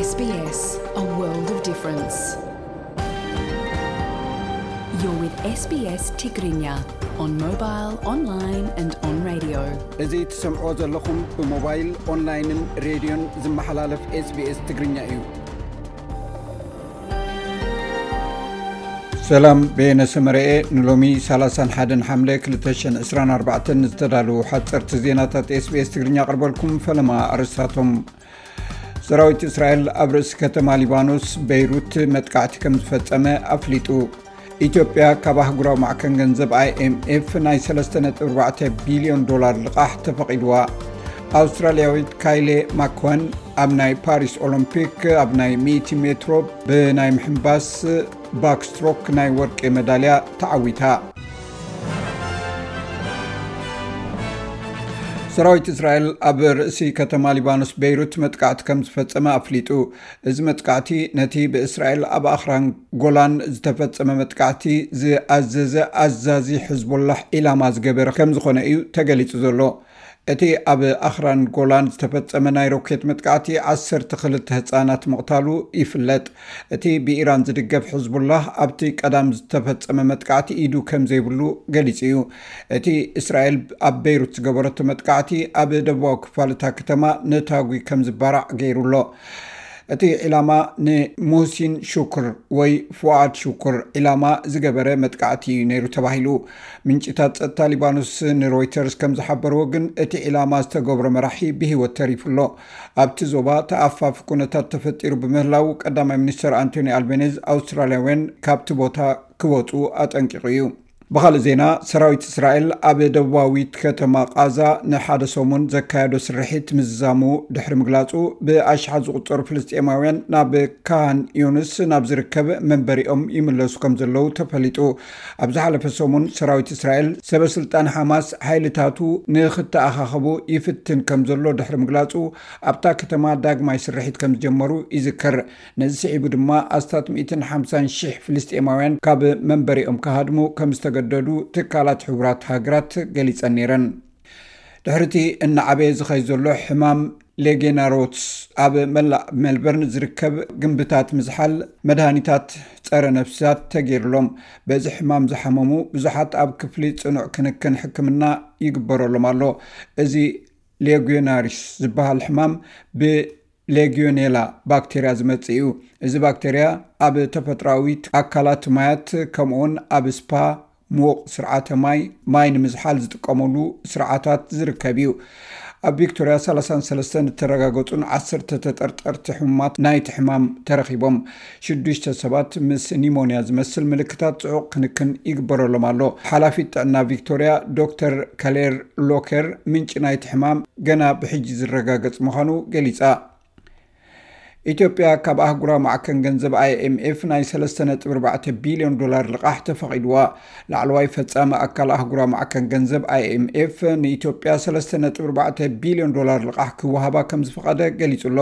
S B S, a world of difference. You're with S B S Tigrinya on mobile, online and on radio. እዚ ትሰምዕዎ ዘለኹም ብሞባይል፣ ኦንላይንን ሬድዮን ዝመሓላለፍ SBS ትግርኛ እዩ። ሰላም፣ በየነ ሰመረኤ። ንሎሚ ሰላሳን ሓደን ሓምለ ክልተ ሽሕን ዕስራን ኣርባዕተን ዝተዳለዉ ሓፀርቲ ዜናታት SBS ትግርኛ ኣቕርበልኩም። ፈለማ ኣርእስታቶም። ሰራዊት እስራኤል ኣብ ርእሲ ከተማ ሊባኖስ በይሩት መጥቃዕቲ ከም ዝፈጸመ ኣፍሊጡ። ኢትዮጵያ ካብ ኣህጉራዊ ማዕከን ገንዘብ IMF ናይ ሰለስተ ነጥቢ ኣርባዕተ ቢልዮን ዶላር ልቓሕ ተፈቒድዋ። ኣውስትራልያዊት ካይሌ ማክወን ኣብ ናይ ፓሪስ ኦሎምፒክ ኣብ ናይ ሚእቲ ሜትሮ ብናይ ምሕንባስ ባክስትሮክ ናይ ወርቂ መዳልያ ተዓዊታ። ሰራዊት እስራኤል ኣብ ርእሲ ከተማ ሊባኖስ ቤይሩት መጥቃዕቲ ከም ዝፈጸመ ኣፍሊጡ። እዚ መጥቃዕቲ ነቲ ብእስራኤል ኣብ ኣኽራን ጎላን ዝተፈጸመ መጥቃዕቲ ዝኣዘዘ ኣዛዚ ሕዝቦላህ ዒላማ ዝገበረ ከም ዝኾነ እዩ ተገሊጹ ዘሎ። እቲ ኣብ ኣኽራን ጎላን ዝተፈጸመ ናይ ሮኬት መጥቃዕቲ ዓሰርተ ክልተ ህጻናት ምቕታሉ ይፍለጥ። እቲ ብኢራን ዝድገፍ ሕዝቡላህ ኣብቲ ቀዳም ዝተፈጸመ መጥቃዕቲ ኢዱ ከም ዘይብሉ ገሊጹ እዩ። እቲ እስራኤል ኣብ ቤይሩት ዝገበረቶ መጥቃዕቲ ኣብ ደቡባዊ ክፋል እታ ከተማ ነታጒ ከም ዝባራዕ ገይሩ ኣሎ። እቲ ዒላማ ንሙህሲን ሹክር ወይ ፉኣድ ሹክር ዒላማ ዝገበረ መጥቃዕቲ እዩ ነይሩ ተባሂሉ። ምንጭታት ጸጥታ ሊባኖስ ንሮይተርስ ከም ዝሓበርዎ ግን እቲ ዒላማ ዝተገብሮ መራሒ ብህይወት ተሪፉ ኣሎ። ኣብቲ ዞባ ተኣፋፊ ኩነታት ተፈጢሩ ብምህላው ቀዳማይ ሚኒስተር ኣንቶኒ ኣልቤኔዝ ኣውስትራልያውያን ካብቲ ቦታ ክወጹ ኣጠንቂቑ እዩ። ብኻልእ ዜና፣ ሰራዊት እስራኤል ኣብ ደቡባዊት ከተማ ቃዛ ንሓደ ሰሙን ዘካየዶ ስርሒት ምዝዛሙ ድሕሪ ምግላጹ፣ ብኣሽሓት ዝቑጸሩ ፍልስጤማውያን ናብ ካን ዩንስ ናብ ዝርከብ መንበሪኦም ይምለሱ ከም ዘለዉ ተፈሊጡ። ኣብ ዝሓለፈ ሰሙን ሰራዊት እስራኤል ሰበ ስልጣን ሓማስ ሓይልታቱ ንኽተኣኻኸቡ ይፍትን ከም ዘሎ ድሕሪ ምግላጹ፣ ኣብታ ከተማ ዳግማይ ስርሒት ከም ዝጀመሩ ይዝከር። ነዚ ስዒቡ ድማ ኣስታት ሚእትን ሓምሳን ሽሕ ፍልስጤማውያን ካብ መንበሪኦም ክሃድሙ ከም ዝተገደዱ ትካላት ሕቡራት ሃገራት ገሊጸን ነይረን። ድሕሪቲ እናዓበየ ዝኸይ ዘሎ ሕማም ሌጌናሮትስ ኣብ መላእ ሜልበርን ዝርከብ ግንብታት ምዝሓል መድሃኒታት ጸረ ነፍሳት ተገይሩሎም። በዚ ሕማም ዝሓመሙ ብዙሓት ኣብ ክፍሊ ጽኑዕ ክንክን ሕክምና ይግበረሎም ኣሎ። እዚ ሌጊዮናሪስ ዝበሃል ሕማም ብሌጊዮኔላ ባክቴርያ ዝመጽእ እዩ። እዚ ባክቴርያ ኣብ ተፈጥሮኣዊ ኣካላት ማያት ከምኡውን ኣብ ስፓ፣ ምዉቕ ስርዓተ ማይ፣ ማይ ንምዝሓል ዝጥቀመሉ ስርዓታት ዝርከብ እዩ። ኣብ ቪክቶርያ ሰላሳን ሰለስተን እተረጋገጹን ዓሰርተ ተጠርጠርቲ ሕሙማት ናይቲ ሕማም ተረኺቦም። ሽዱሽተ ሰባት ምስ ኒሞንያ ዝመስል ምልክታት ጽዑቕ ክንክን ይግበረሎም ኣሎ። ሓላፊት ጥዕና ቪክቶርያ ዶክተር ከሌር ሎከር ምንጪ ናይቲ ሕማም ገና ብሕጂ ዝረጋገጽ ምዃኑ ገሊጻ። ኢትዮጵያ ካብ ኣህጉራዊ ማዕከን ገንዘብ IMF ናይ ሰለስተ ነጥቢ ኣርባዕተ ቢልዮን ዶላር ልቓሕ ተፈቒድዋ። ላዕለዋይ ፈጻሚ ኣካል ኣህጉራዊ ማዕከን ገንዘብ IMF ንኢትዮጵያ ሰለስተ ነጥቢ ኣርባዕተ ቢልዮን ዶላር ልቓሕ ክወሃባ ከም ዝፈቐደ ገሊጹ ኣሎ።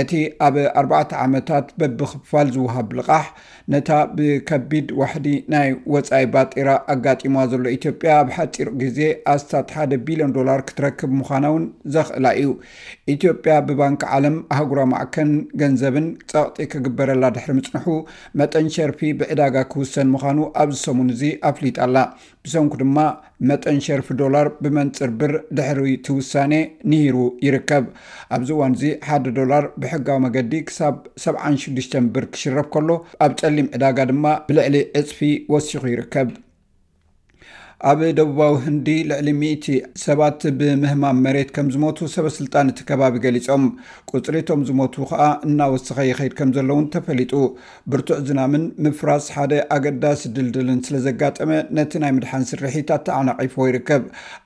እቲ ኣብ ኣርባዕተ ዓመታት በብኽፋል ዝወሃብ ልቓሕ፣ ነታ ብከቢድ ዋሕዲ ናይ ወጻኢ ባጤራ ኣጋጢማ ዘሎ ኢትዮጵያ ኣብ ሓጺር ግዜ ኣስታት ሓደ ቢልዮን ዶላር ክትረክብ ምዃና እውን ዘኽእላ እዩ። ኢትዮጵያ ብባንክ ዓለም ኣህጉራዊ ማዕከን ገንዘብን ጸቕጢ ክግበረላ ድሕሪ ምጽንሑ፣ መጠን ሸርፊ ብዕዳጋ ክውሰን ምዃኑ ኣብዚ ሰሙን እዚ ኣፍሊጣ ኣላ። ብሰንኩ ድማ መጠን ሸርፊ ዶላር ብመንጽር ብር ድሕሪ እቲ ውሳኔ ንሂሩ ይርከብ። ኣብዚ እዋን እዚ ሓደ ዶላር ብሕጋዊ መገዲ ክሳብ ሰብዓን ሽዱሽተን ብር ክሽረፍ ከሎ፣ ኣብ ጸሊም ዕዳጋ ድማ ብልዕሊ ዕጽፊ ወሲኹ ይርከብ። ኣብ ደቡባዊ ህንዲ ልዕሊ ሚእቲ ሰባት ብምህማም መሬት ከም ዝሞቱ ሰበ ስልጣን እቲ ከባቢ ገሊጾም። ቁጽሪ እቶም ዝሞቱ ከኣ እናወሰኸ ይኸይድ ከም ዘሎ እውን ተፈሊጡ። ብርቱዕ ዝናምን ምፍራስ ሓደ ኣገዳሲ ድልድልን ስለ ዘጋጠመ፣ ነቲ ናይ ምድሓን ስርሒት ኣተዓናቒፍዎ ይርከብ።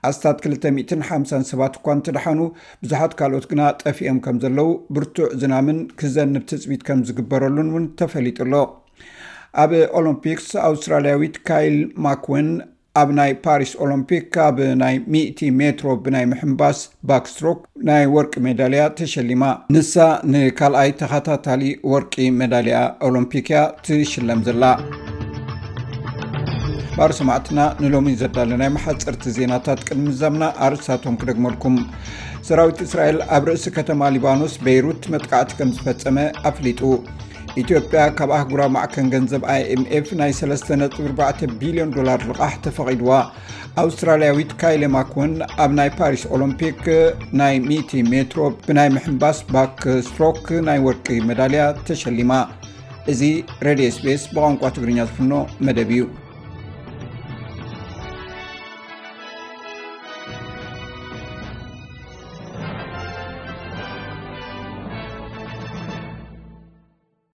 ኣስታት ክልተ ሚእትን ሓምሳን ሰባት እኳ እንተደሓኑ፣ ብዙሓት ካልኦት ግና ጠፊኦም ከም ዘለዉ፣ ብርቱዕ ዝናምን ክዘንብ ትጽቢት ከም ዝግበረሉን እውን ተፈሊጡ ኣሎ። ኣብ ኦሎምፒክስ፣ ኣውስትራልያዊት ካይል ማክወን ኣብ ናይ ፓሪስ ኦሎምፒክ ካብ ናይ ሚእቲ ሜትሮ ብናይ ምሕንባስ ባክስትሮክ ናይ ወርቂ ሜዳልያ ተሸሊማ። ንሳ ንካልኣይ ተኸታታሊ ወርቂ ሜዳልያ ኦሎምፒክ እያ ትሽለም ዘላ። ባር ሰማዕትና ንሎሚ ዘዳለናይ መሓፀርቲ ዜናታት ቅድሚ ምዛምና ኣርእስታቶም ክደግመልኩም። ሰራዊት እስራኤል ኣብ ርእሲ ከተማ ሊባኖስ ቤይሩት መጥቃዕቲ ከም ዝፈጸመ ኣፍሊጡ። ኢትዮጵያ ካብ ኣህጉራዊ ማዕከን ገንዘብ ኣይኤምኤፍ ናይ ሰለስተ ነጥቢ ኣርባዕተ ቢልዮን ዶላር ልቓሕ ተፈቒድዋ። ኣውስትራልያዊት ካይሌ ማክወን ኣብ ናይ ፓሪስ ኦሎምፒክ ናይ ሚእቲ ሜትሮ ብናይ ምሕንባስ ባክ ስትሮክ ናይ ወርቂ መዳልያ ተሸሊማ። እዚ ሬድዮ ኤስቢኤስ ብቋንቋ ትግርኛ ዝፍኖ መደብ እዩ።